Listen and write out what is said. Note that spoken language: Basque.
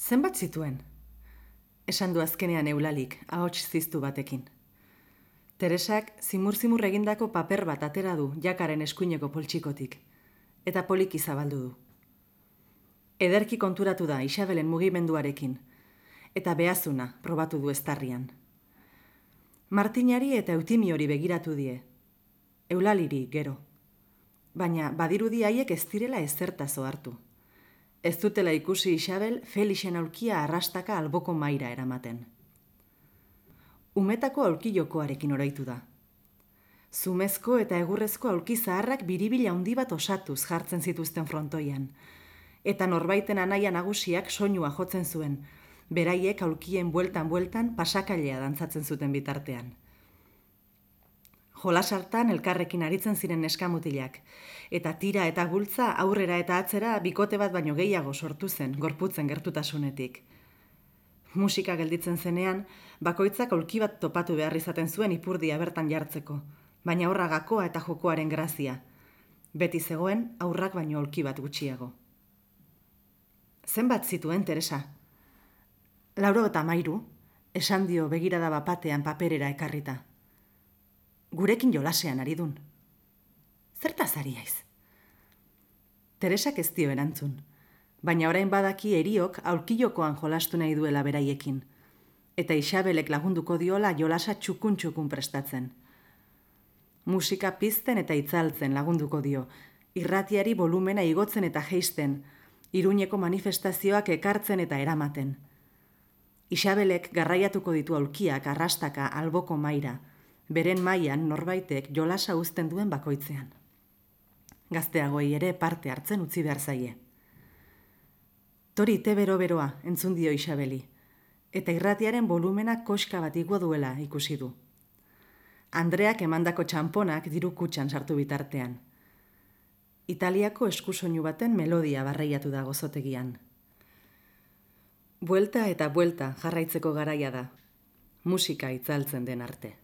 Zenbat zituen? Esan du azkenean Eulalik, ahots ziztu batekin. Teresak zimur-zimur egindako paper bat atera du jakaren eskuineko poltsikotik, eta poliki zabaldu du. Ederki konturatu da Isabelen mugimenduarekin, eta behazuna probatu du eztarrian. Martinari eta Eutimiori begiratu die, Eulaliri gero. Baina badirudi haiek ez direla ezertaz ohartu. Ez dutela ikusi Isabel Felixen aulkia arrastaka alboko maira eramaten. Umetako aulki jokoarekin oraitu da. Zumezko eta egurrezko aulki zaharrak biribila handi bat osatuz jartzen zituzten frontoian, eta norbaiten anaia nagusiak soinua jotzen zuen, beraiek aulkien bueltan pasakailea dantzatzen zuten bitartean. Jolas hartan elkarrekin aritzen ziren neskamutilak, eta tira eta bultza aurrera eta atzera bikote bat baino gehiago sortu zen, gorputzen gertutasunetik. Musika gelditzen zenean, bakoitzak aulki bat topatu behar izaten zuen ipurdia bertan jartzeko, baina horra gakoa eta jokoaren grazia. Beti zegoen aurrak baino aulki bat gutxiago. Zenbat zituen, Teresa? 93, esan dio begirada bapatean paperera ekarrita. Gurekin jolasean ari dun. Zertaz ari haiz? Teresak ez dio erantzun, baina orain badaki eriok aulkijokoan jolastu nahi duela beraiekin, eta Isabelek lagunduko diola jolasa txukun prestatzen. Musika pizten eta itzaltzen lagunduko dio, irratiari volumena igotzen eta jeisten, Iruñeko manifestazioak ekartzen eta eramaten. Isabelek garraiatuko ditu aulkiak arrastaka alboko maira, beren mailan norbaitek jolasa uzten duen bakoitzean. Gazteagoi ere parte hartzen utzi behar zaie. Tori te bero-beroa entzun dio Isabeli, eta irratiaren volumena koska bat igo duela ikusi du. Andreak emandako txamponak diru kutxan sartu bitartean. Italiako eskusoinu baten melodia barreiatu da gozotegian. Buelta eta buelta jarraitzeko garaia da, musika itzaltzen den arte.